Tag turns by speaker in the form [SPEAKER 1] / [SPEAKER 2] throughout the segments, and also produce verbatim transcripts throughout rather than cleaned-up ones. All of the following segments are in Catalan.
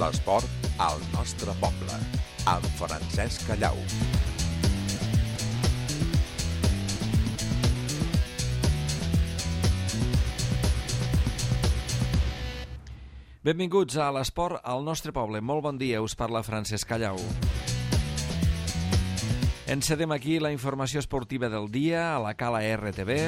[SPEAKER 1] L'esport al nostre poble, amb Francesc Callau.
[SPEAKER 2] Benvinguts a l'Esport al nostre poble. Molt bon dia, us parla Francesc Callau. Encedem aquí la informació esportiva del dia a la Cala R T V.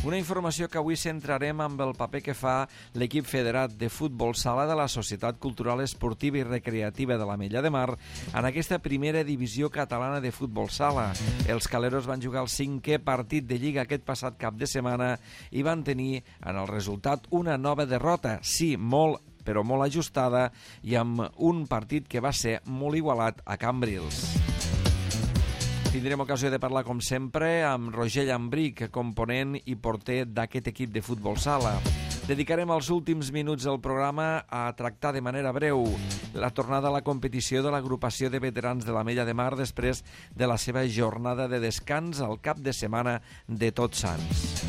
[SPEAKER 2] Una informació que avui centrarem amb el paper que fa l'equip federat de futbol sala de la Societat Cultural Esportiva i Recreativa de l'Ametlla de Mar en aquesta primera divisió catalana de futbol sala. Els caleros van jugar el cinquè partit de Lliga aquest passat cap de setmana i van tenir en el resultat una nova derrota, sí, molt, però molt ajustada, i amb un partit que va ser molt igualat a Cambrils. Tindrem ocasió de parlar, com sempre, amb Roger Llambric, component i porter d'aquest equip de futbol sala. Dedicarem els últims minuts del programa a tractar de manera breu la tornada a la competició de l'agrupació de veterans de l'Ametlla de Mar després de la seva jornada de descans al cap de setmana de Tots Sants.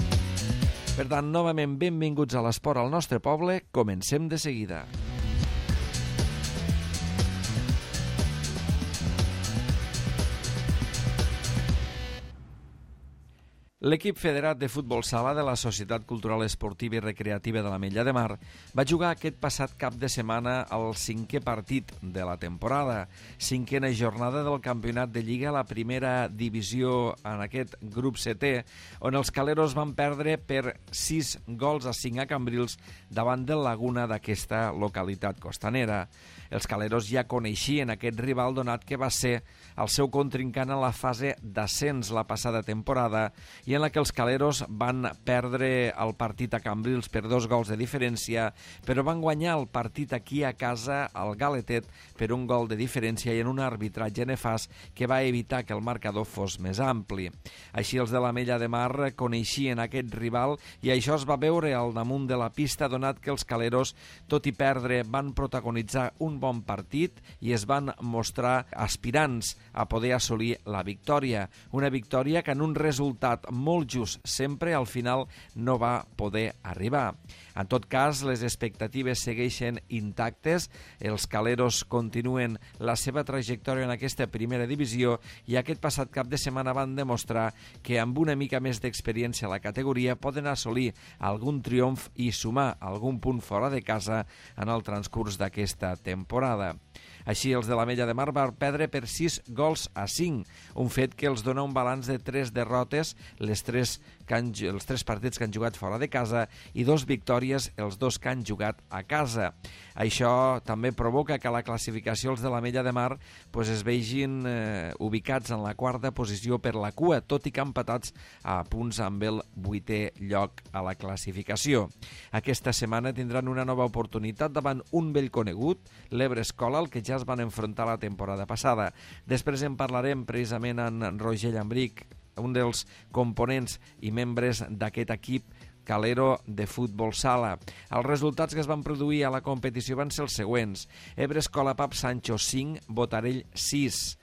[SPEAKER 2] Per tant, novament benvinguts a l'esport al nostre poble. Comencem de seguida. L'equip federat de futbol sala de la Societat Cultural Esportiva i Recreativa de l'Ametlla de Mar va jugar aquest passat cap de setmana el cinquè partit de la temporada, cinquena jornada del campionat de Lliga a la primera divisió en aquest grup setè, on els caleros van perdre per sis gols a cinc a Cambrils davant del Laguna d'aquesta localitat costanera. Els caleros ja coneixien aquest rival donat que va ser el seu contrincant en la fase d'ascens la passada temporada i en la que els caleros van perdre el partit a Cambrils per dos gols de diferència, però van guanyar el partit aquí a casa al Galetet per un gol de diferència i en un arbitratge nefast que va evitar que el marcador fos més ampli. Així els de l'Ametlla de Mar coneixien aquest rival i això es va veure al damunt de la pista, donat que els caleros, tot i perdre, van protagonitzar un bon partit i es van mostrar aspirants a poder assolir la victòria. Una victòria que en un resultat molt just sempre al final no va poder arribar. En tot cas, les expectatives segueixen intactes, els caleros continuen la seva trajectòria en aquesta primera divisió i aquest passat cap de setmana van demostrar que amb una mica més d'experiència a la categoria poden assolir algun triomf i sumar algun punt fora de casa en el transcurs d'aquesta temporada. Així, els de l'Ametlla de Mar van perdre per sis gols a cinc, un fet que els dona un balanç de tres derrotes, les tres que han, els tres partits que han jugat fora de casa i dos victòries, els dos que han jugat a casa. Això també provoca que a la classificació els de l'Ametlla de Mar pues, es vegin eh, ubicats en la quarta posició per la cua, tot i que empatats a punts amb el vuitè lloc a la classificació. Aquesta setmana tindran una nova oportunitat davant un vell conegut, l'Ebre Escola, el que ja es van enfrontar la temporada passada. Després en parlarem precisament amb Roger Llambric, un dels components i membres d'aquest equip calero de futbol sala. Els resultats que es van produir a la competició van ser els següents: Ebre Escola Pap Sancho cinc, Botarell sis,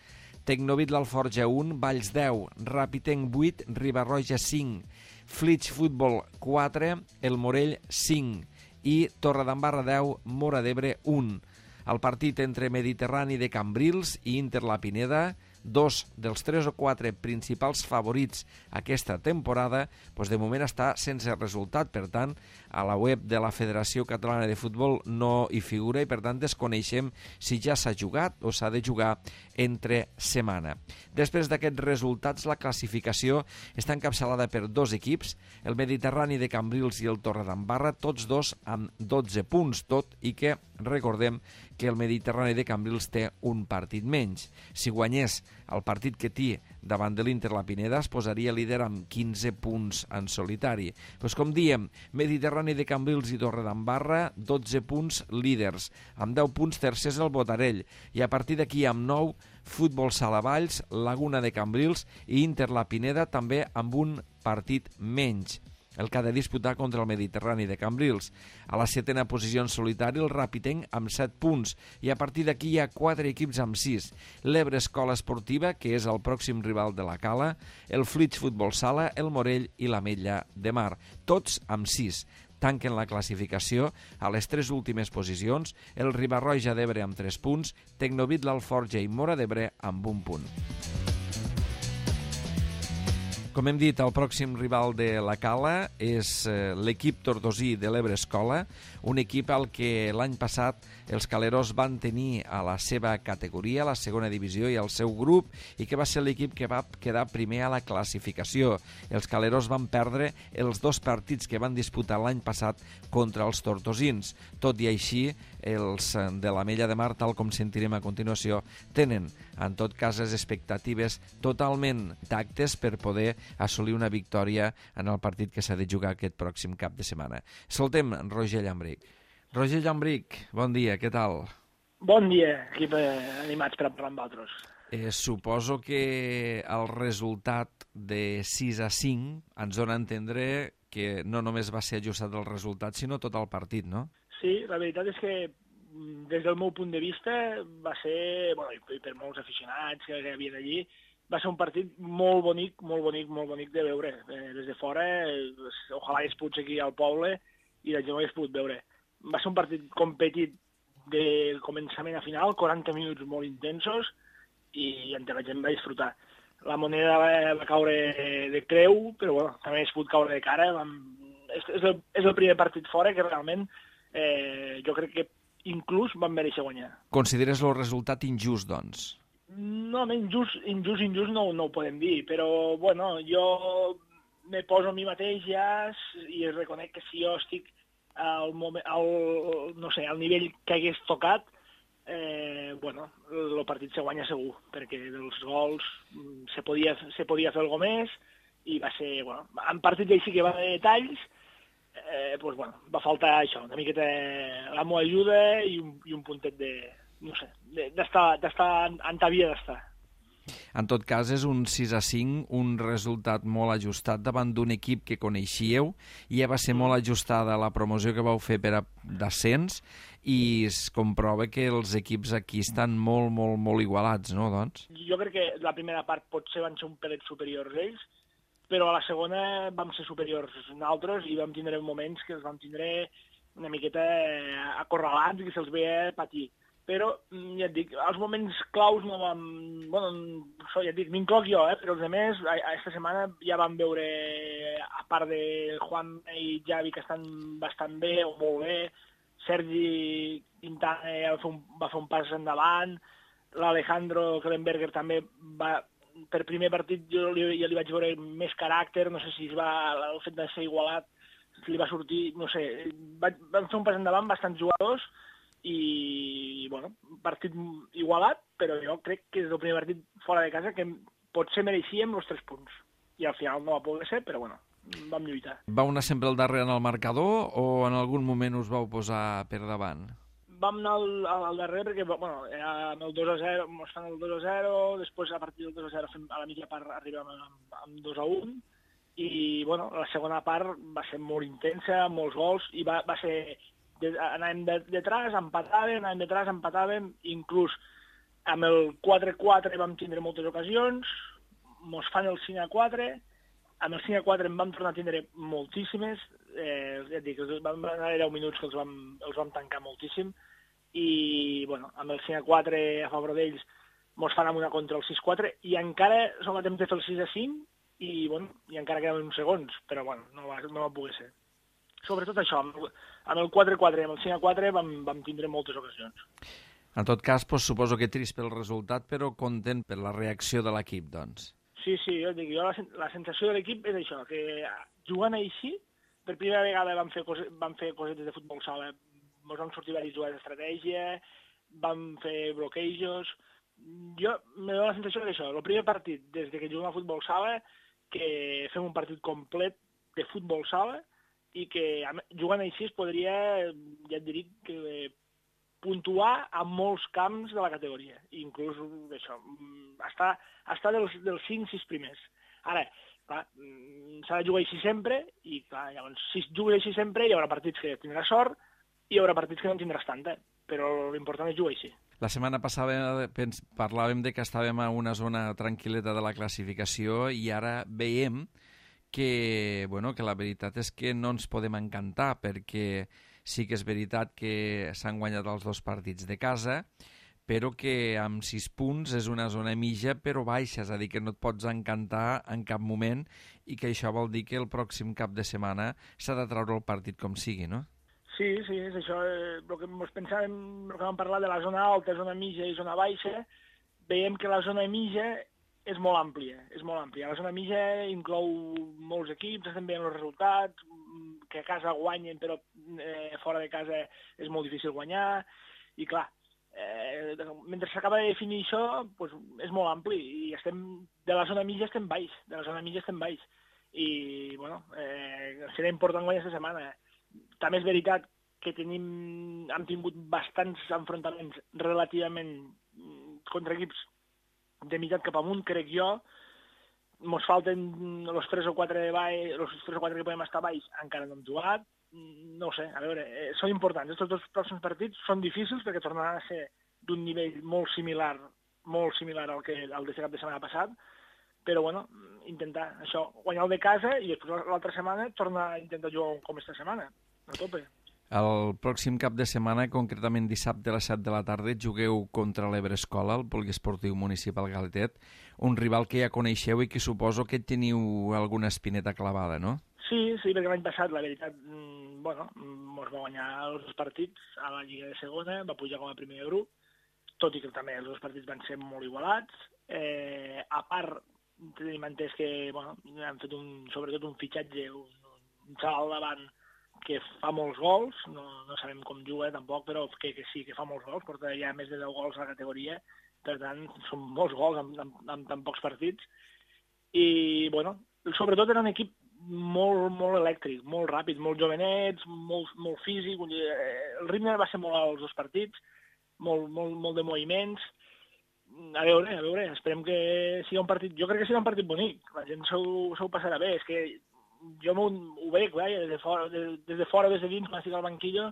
[SPEAKER 2] Tecnovit l'Alforja un, Valls deu, Rapitenc vuit, Riba-roja cinc, Flix Futbol quatre, El Morell cinc i Torredembarra deu, Móra d'Ebre un. El partit entre Mediterrani de Cambrils i Inter La Pineda, dos dels tres o quatre principals favorits aquesta temporada, doncs de moment està sense resultat. Per tant, a la web de la Federació Catalana de Futbol no hi figura i per tant desconeixem si ja s'ha jugat o s'ha de jugar entre setmana. Després d'aquests resultats, la classificació està encapçalada per dos equips, el Mediterrani de Cambrils i el Torredembarra, tots dos amb dotze punts, tot i que recordem que el Mediterrani de Cambrils té un partit menys. Si guanyés el partit que té davant de l'Inter La Pineda es posaria líder amb quinze punts en solitari. Pues com diem, Mediterrani de Cambrils i Torredembarra, dotze punts líders, amb deu punts tercers el Botarell, i a partir d'aquí amb nou, Futbol Sala Valls, Laguna de Cambrils i Inter La Pineda també amb un partit menys, el que ha de disputar contra el Mediterrani de Cambrils. A la setena posició en solitari el Rapitenc amb set punts i a partir d'aquí hi ha quatre equips amb sis. L'Ebre Escola Esportiva, que és el pròxim rival de la Cala, el Flix Futbol Sala, el Morell i l'Ametlla de Mar, tots amb sis. tanquen la classificació a les tres últimes posicions, el Riba-roja d'Ebre amb tres punts, Tecnobit, l'Alforja i Móra d'Ebre amb un punt. Com hem dit, el pròxim rival de la Cala és l'equip tortosí de l'Ebre Escola, un equip al que l'any passat els caleros van tenir a la seva categoria, a la segona divisió i al seu grup, i que va ser l'equip que va quedar primer a la classificació. Els caleros van perdre els dos partits que van disputar l'any passat contra els tortosins. Tot i així, els de l'Ametlla de Mar, tal com sentirem a continuació, tenen, en tot cas, les expectatives totalment intactes per poder assolir una victòria en el partit que s'ha de jugar aquest pròxim cap de setmana. Escoltem Roger Llambric. Roger Llambric, bon dia, què tal?
[SPEAKER 3] Bon dia, equip animats per parlar amb altres.
[SPEAKER 2] Eh, suposo que el resultat de sis a cinc ens dona a entendre que no només va ser ajustat el resultat, sinó tot el partit, no?
[SPEAKER 3] Sí, la veritat és que des del meu punt de vista va ser, bueno, i per molts aficionats que hi havia allí, va ser un partit molt bonic, molt bonic, molt bonic de veure. Eh, des de fora, eh, ojalà hagués pogut aquí al poble i la gent ho hagués pogut veure. Va ser un partit competit del començament a final, quaranta minuts molt intensos, i entre la gent va disfrutar. La moneda va, va caure de creu, però bueno, també hagués pogut caure de cara. Vam... És, és, el, és el primer partit fora que realment eh, jo crec que inclús van mereixer guanyar.
[SPEAKER 2] Consideres el resultat injust, doncs?
[SPEAKER 3] No, injust, injust, injust no, no ho podem dir, però, bueno, jo me poso a mi mateix ja i reconec que si jo estic al, moment, al, no sé, al nivell que hagués tocat, eh, bueno, el partit se guanya segur, perquè dels gols se podia, se podia fer alguna més i va ser, bueno, en partit així que va de detalls, eh, pues, bueno, va faltar això, una miqueta la meva ajuda i un, i un puntet de... no sé, d'estar, d'estar on havia d'estar.
[SPEAKER 2] En tot cas, és un sis a cinc, un resultat molt ajustat davant d'un equip que coneixíeu, i ja va ser molt ajustada la promoció que vau fer per a descens, i es comprova que els equips aquí estan molt, molt, molt igualats, no, doncs?
[SPEAKER 3] Jo crec que la primera part potser van ser un pelet superiors ells, però a la segona vam ser superiors nosaltres i vam tindre moments que els vam tindre una miqueta acorralats i que se'ls veia patir. Però, ja et dic, als moments claus no vam... Bueno, això ja et dic, m'incloc jo, eh? Però els altres, aquesta setmana ja vam veure, a part de Juan i Javi, que estan bastant bé o molt bé, Sergi Quintana va fer un, va fer un pas endavant, l'Alejandro Klemberger també va... Per primer partit jo li, ja li vaig veure més caràcter, no sé si es va, el fet de ser igualat li va sortir, no sé, va, van fer un pas endavant bastants jugadors, i, bueno, partit igualat, però jo crec que és el primer partit fora de casa que potser mereixíem els tres punts. I al final no va poder ser, però, bueno, vam lluitar.
[SPEAKER 2] Vau anar sempre al darrere en el marcador o en algun moment us vau posar per davant?
[SPEAKER 3] Vam anar al, al darrere perquè, bueno, amb el dos a zero, ens fan el dos a zero, després a partir del dos a zero fem, a la mitja part arribem amb, amb dos a un, i, bueno, la segona part va ser molt intensa, molts gols, i va, va ser... anàvem de, detrás, empatàvem, anàvem detrás, empatàvem, inclús amb el quatre a quatre vam tindre moltes ocasions, mos fan el cinc a quatre, amb el cinc a quatre en vam tornar a tindre moltíssimes, eh, ja et dic, vam anar deu minuts que els vam, els vam tancar moltíssim, i, bueno, amb el cinc a quatre a favor d'ells mos fan amb una contra el sis a quatre, i encara som a temps de fer el sis a cinc, i, bueno, i encara quedaven uns segons, però, bueno, no va, no va poder ser. Sobretot això, amb el quatre a quatre i amb el cinc a quatre vam, vam tindre moltes ocasions.
[SPEAKER 2] En tot cas, doncs, suposo que trist pel resultat, però content per la reacció de l'equip, doncs.
[SPEAKER 3] Sí, sí, jo dic, jo la, la sensació de l'equip és això, que jugant així, per primera vegada vam fer, cose, vam fer cosetes de futbol sala, ens vam sortir diverses jugades d'estratègia, vam fer bloquejos... Jo me dono la sensació d'això, el primer partit des de que juguem a futbol sala, que fem un partit complet de futbol sala, i que jugant així es podria, ja et dic, que puntuar a molts camps de la categoria, inclús això, estar, estar dels, dels cinc sis primers. Ara, clar, s'ha de jugar així sempre, i clar, llavors, si jugues així sempre, hi haurà partits que tindràs sort, i hi haurà partits que no en tindràs tanta, però l'important és jugar així.
[SPEAKER 2] La setmana passada parlàvem de que estàvem a una zona tranquil·leta de la classificació i ara veiem que, bueno, que la veritat és que no ens podem encantar, perquè sí que és veritat que s'han guanyat els dos partits de casa, però que amb sis punts és una zona mitja però baixa, és a dir, que no et pots encantar en cap moment i que això vol dir que el pròxim cap de setmana s'ha de treure el partit com sigui, no?
[SPEAKER 3] Sí, sí, és això. Eh, el que ens pensàvem, el que vam parlar de la zona alta, zona mitja i zona baixa, veiem que la zona mitja és molt àmplia, és molt àmplia. La zona mitja inclou molts equips, estem veient els resultats, que a casa guanyen, però eh, fora de casa és molt difícil guanyar, i clar, eh, mentre s'acaba de definir això, doncs és molt ampli, i estem, de la zona mitja estem baix, de la zona mitja estem baix, i bueno, eh, serà important guanyar aquesta setmana. També és veritat que tenim, hem tingut bastants enfrontaments relativament contra equips de meitat cap amunt, crec jo. Ens falten els tres o quatre de baix, els tres o quatre que podem estar baix, encara no hem jugat. No ho sé, a veure, eh, són importants. Aquests dos pròxims partits són difícils perquè tornaran a ser d'un nivell molt similar, molt similar al que al de cap de setmana passat, però bueno, intentar això, guanyar el de casa i després l'altra setmana tornar a intentar jugar com esta setmana, a tope.
[SPEAKER 2] El pròxim cap de setmana, concretament dissabte a les set de la tarda, jugueu contra l'Ebre Escola, el Poliesportiu Municipal Galetet, un rival que ja coneixeu i que suposo que teniu alguna espineta clavada, no?
[SPEAKER 3] Sí, sí, perquè l'any passat, la veritat, bueno, ens va guanyar els dos partits a la Lliga de Segona, va pujar com a primer de grup, tot i que també els dos partits van ser molt igualats. Eh, a part, tenim entès que, bueno, han fet un, sobretot un fitxatge, un, un xaval davant que fa molts gols, no, no sabem com juga tampoc, però que, que sí, que fa molts gols, porta ja més de deu gols a la categoria, per tant, són molts gols en, en, en tan pocs partits, i, bueno, sobretot era un equip molt, molt elèctric, molt ràpid, molt jovenets, molt, molt físic, el ritme va ser molt alt els dos partits, molt, molt, molt de moviments. A veure, a veure, esperem que sigui un partit, jo crec que serà un partit bonic, la gent s'ho passarà bé, és que jo ho, ho veig, vaja, des de fora, des, des de fora, des de dins, quan estic al banquillo,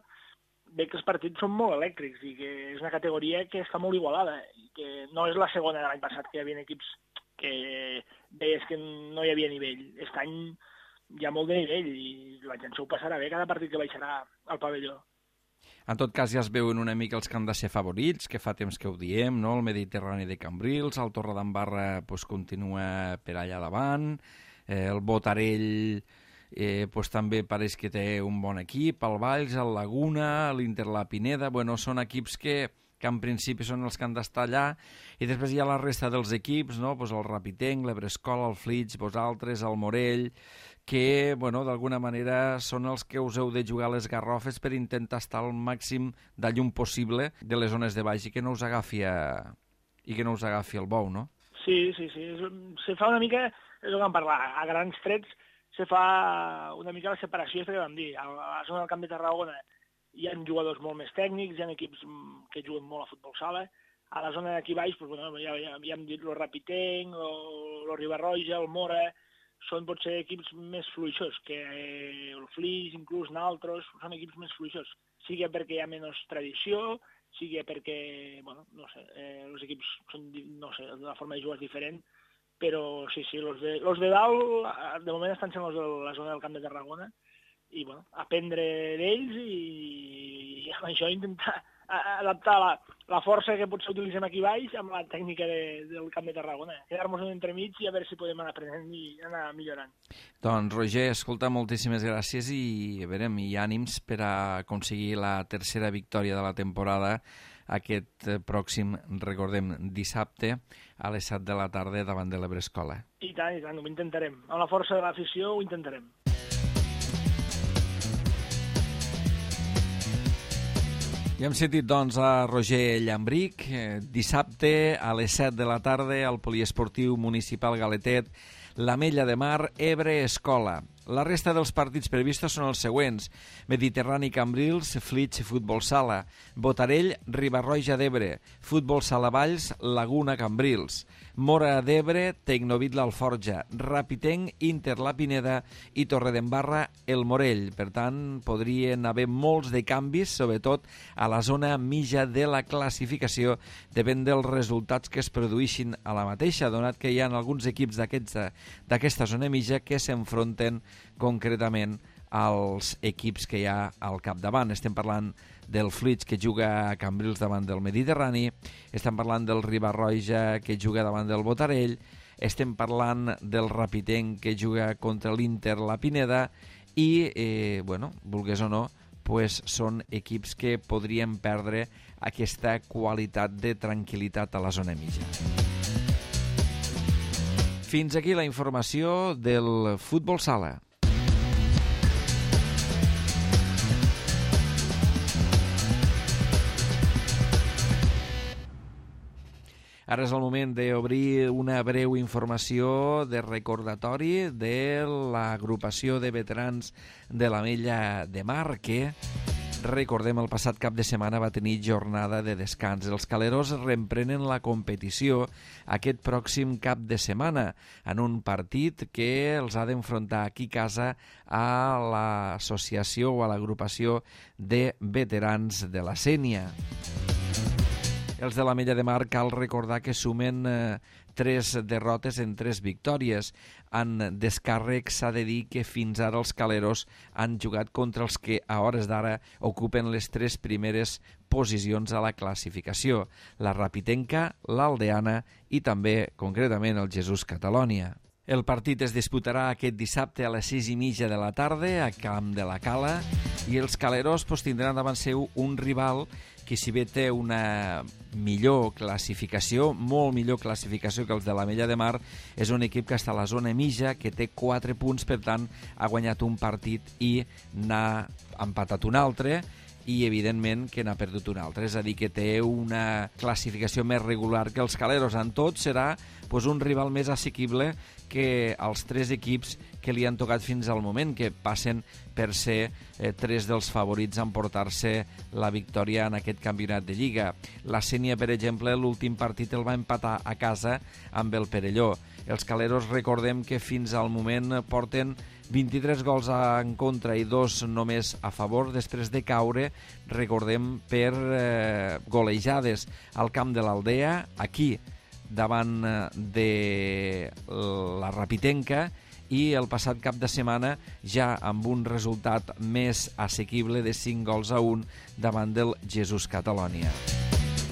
[SPEAKER 3] veig que els partits són molt elèctrics i que és una categoria que està molt igualada, i que no és la segona de l'any passat, que hi havia equips que veies que no hi havia nivell. Aquest any hi ha molt de nivell i la gent s'ho passarà bé cada partit que baixarà al pavelló.
[SPEAKER 2] En tot cas, ja es veuen una mica els que han de ser favorits, que fa temps que ho diem, no? El Mediterrani de Cambrils, el Torredembarra pues, continua per allà davant, eh, el Botarell eh, pues, també pareix que té un bon equip, el Valls, el Laguna, l'Inter La Pineda, bueno, són equips que, que en principi són els que han d'estar allà, i després hi ha la resta dels equips, no? Pues el Rapitenc, l'Ebrescola, el Flix, vosaltres, el Morell, que, bueno, d'alguna manera són els que us heu de jugar les garrofes per intentar estar al màxim de llum possible de les zones de baix i que no us agafi, a... i que no us agafi el bou, no?
[SPEAKER 3] Sí, sí, sí. Se fa una mica, és el que vam parlar, a grans trets se fa una mica la separació, és que vam dir. A la zona del Camp de Tarragona hi ha jugadors molt més tècnics, hi ha equips que juguen molt a futbol sala. A la zona d'aquí baix, pues, bueno, ja, ja, ja hem dit el Rapitenc, el Ribarroja, el Mora, són potser equips més fluixos, que eh, el Flix, inclús naltros, són equips més fluixos, sigui perquè hi ha menys tradició, sigui perquè, bueno, no sé, eh, els equips són, no sé, la forma de jugar és diferent, però sí, sí, els de, los de dalt, de moment estan sent els de la zona del Camp de Tarragona, i, bueno, aprendre d'ells i, i amb això intentar adaptar la, la força que potser utilitzem aquí baix amb la tècnica de, del Camp de Tarragona. Quedar-nos un entremig i a veure si podem anar aprenent i anar millorant.
[SPEAKER 2] Doncs, Roger, escolta, moltíssimes gràcies i, a veure, i ànims per a aconseguir la tercera victòria de la temporada aquest pròxim, recordem, dissabte a les set de la tarda davant de l'Ebrescola.
[SPEAKER 3] I tant, i tant, ho intentarem. Amb la força de l'afició ho intentarem.
[SPEAKER 2] Ja hem sentit, doncs, a Roger Llambric, eh, dissabte a les set de la tarda al Poliesportiu Municipal Galetet, l'Ametlla de Mar, Ebre Escola. La resta dels partits previstos són els següents: Mediterrani Cambrils, Flix Futbol Sala, Botarell Riba-roja d'Ebre, Futbol Sala Valls, Laguna Cambrils, Móra d'Ebre, Tecnovit l'Alforja, Rapitenc, Inter la Pineda i Torredembarra el Morell. Per tant, podrien haver molts de canvis, sobretot a la zona mitja de la classificació, depèn dels resultats que es produïxin a la mateixa, donat que hi ha alguns equips d'aquesta zona mitja que s'enfronten concretament als equips que hi ha al capdavant. Estem parlant del Flix, que juga a Cambrils davant del Mediterrani, estem parlant del Riba-roja, que juga davant del Botarell, estem parlant del Rapitenc, que juga contra l'Inter la Pineda, i, eh, bueno, vulgués o no, pues són equips que podrien perdre aquesta qualitat de tranquil·litat a la zona mitja. Fins aquí la informació del Futbol Sala. Ara és el moment d'obrir una breu informació de recordatori de l'agrupació de veterans de l'Ametlla de Mar, que, recordem, el passat cap de setmana va tenir jornada de descans. Els caleros reemprenen la competició aquest pròxim cap de setmana en un partit que els ha d'enfrontar aquí a casa a l'associació o a l'agrupació de veterans de la Sénia. Els de l'Ametlla de Mar cal recordar que sumen eh, tres derrotes en tres victòries. En descàrrec s'ha de dir que fins ara els caleros han jugat contra els que a hores d'ara ocupen les tres primeres posicions a la classificació: la Rapitenca, l'Aldeana i també, concretament, el Jesús Catalònia. El partit es disputarà aquest dissabte a les sis i mitja de la tarda a Camp de la Cala, i els caleros pues, tindran davant seu un rival que, si bé té una millor classificació, molt millor classificació que els de l'Ametlla de Mar, és un equip que està a la zona mitja, que té quatre punts, per tant, ha guanyat un partit i n'ha empatat un altre, i evidentment que n'ha perdut un altre, és a dir, que té una classificació més regular que els caleros. En tot serà pues, un rival més assequible que els tres equips que li han tocat fins al moment, que passen per ser eh, tres dels favorits a emportar-se la victòria en aquest campionat de Lliga. La Sénia, per exemple, l'últim partit el va empatar a casa amb el Perelló. Els caleros, recordem que fins al moment porten vint-i-tres gols en contra i dos només a favor, després de caure, recordem, per eh, golejades al camp de l'Aldea, aquí, davant de la Rapitenca, i el passat cap de setmana ja amb un resultat més assequible de cinc gols a un davant del Jesús Catalònia.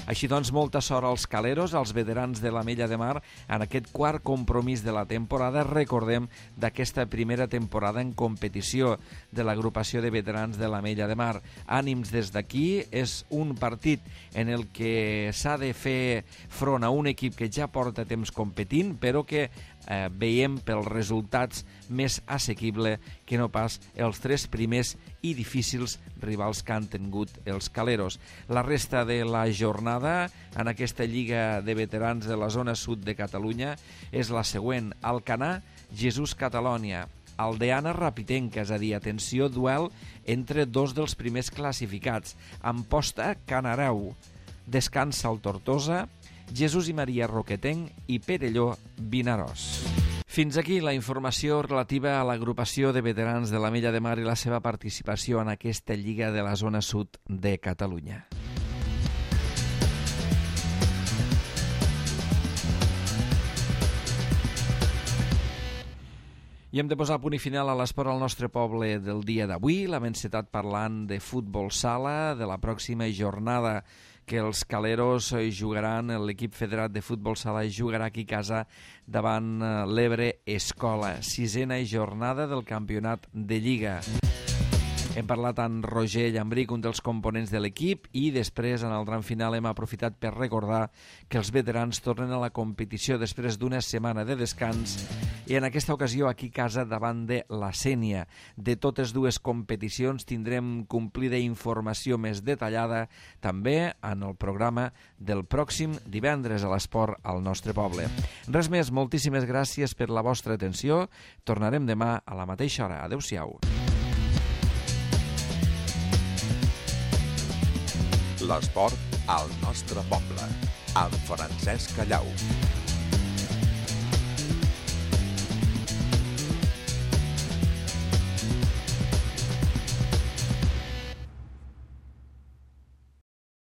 [SPEAKER 2] Així doncs, molta sort als caleros, als veterans de l'Ametlla de Mar, en aquest quart compromís de la temporada, recordem, d'aquesta primera temporada en competició de l'agrupació de veterans de l'Ametlla de Mar. Ànims des d'aquí, és un partit en el que s'ha de fer front a un equip que ja porta temps competint, però que eh, veiem pels resultats més assequible que no pas els tres primers i difícils rivals que han tingut els caleros. La resta de la jornada en aquesta Lliga de Veterans de la zona sud de Catalunya és la següent: Alcanar, Jesús Catalònia, Aldeana, Rapitenca, és a dir, atenció, duel entre dos dels primers classificats, Amposta, Canareu, descansa el Tortosa, Jesús i Maria, Roquetenc i Perelló, Vinaròs. Fins aquí la informació relativa a l'agrupació de veterans de l'Ametlla de Mar i la seva participació en aquesta Lliga de la zona sud de Catalunya. I hem de posar punt i final a l'esport al nostre poble del dia d'avui. L'hem encetat parlant de futbol sala, de la pròxima jornada que els caleros jugaran, l'equip federat de futbol sala jugarà aquí a casa davant l'Ebre Escola. Sisena jornada del campionat de Lliga. Hem parlat amb Roger Llambric, un dels components de l'equip, i després, en el tram final, hem aprofitat per recordar que els veterans tornen a la competició després d'una setmana de descans i en aquesta ocasió aquí a casa davant de la Sénia. De totes dues competicions tindrem complida informació més detallada també en el programa del pròxim divendres a l'Esport al nostre poble. Res més, moltíssimes gràcies per la vostra atenció. Tornarem demà a la mateixa hora. Adéu-siau.
[SPEAKER 1] L'esport al nostre poble, amb Francesc Callau.